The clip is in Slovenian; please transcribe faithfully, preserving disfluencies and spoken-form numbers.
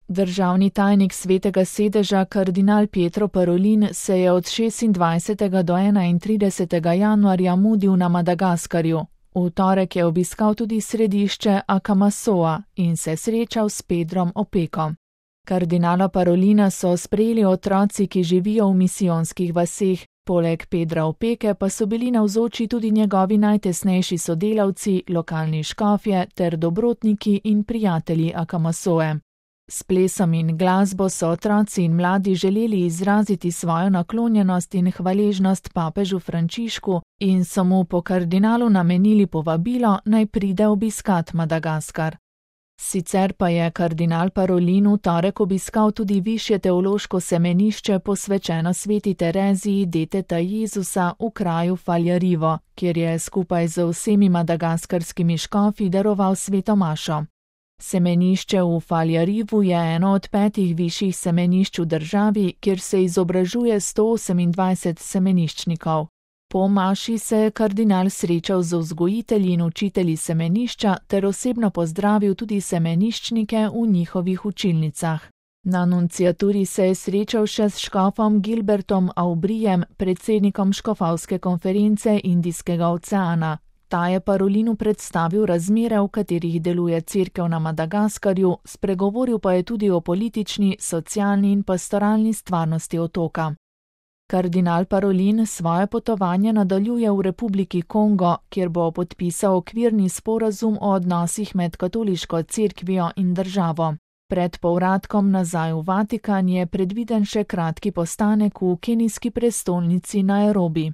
Državni tajnik Svetega sedeža kardinal Pietro Parolin se je od šestindvajsetega do enaintridesetega januarja mudil na Madagaskarju. V torek je obiskal tudi središče Akamasoa in se srečal s Pedrom Opeko. Kardinala Parolina so sprejeli otroci, ki živijo v misijonskih vaseh, poleg Pedra Opeke pa so bili navzoči tudi njegovi najtesnejši sodelavci, lokalni škofje ter dobrotniki in prijatelji Akamasoe. S plesom in glasbo so otroci in mladi želeli izraziti svojo naklonjenost in hvaležnost papežu Frančišku in so mu po kardinalu namenili povabilo, naj pride obiskat Madagaskar. Sicer pa je kardinal Parolin v torek obiskal tudi višje teološko semenišče posvečeno sveti Tereziji Deteta Jezusa v kraju Faljarivo, kjer je skupaj z vsemi madagaskarskimi škofi daroval sveto mašo. Semenišče v Faljarivu je eno od petih višjih semenišč v državi, kjer se izobražuje sto osemindvajset semeniščnikov. Po maši se je kardinal srečal z vzgojitelji in učitelji semenišča ter osebno pozdravil tudi semeniščnike v njihovih učilnicah. Na nunciaturi se je srečal še s škofom Gilbertom Aubrijem, predsednikom škofovske konference Indijskega oceana. Ta je Parolinu predstavil razmere, v katerih deluje cerkev na Madagaskarju, spregovoril pa je tudi o politični, socialni in pastoralni stvarnosti otoka. Kardinal Parolin svoje potovanje nadaljuje v Republiki Kongo, kjer bo podpisal okvirni sporazum o odnosih med katoliško cerkvijo in državo. Pred povratkom nazaj v Vatikan je predviden še kratki postanek v kenijski prestolnici Nairobi.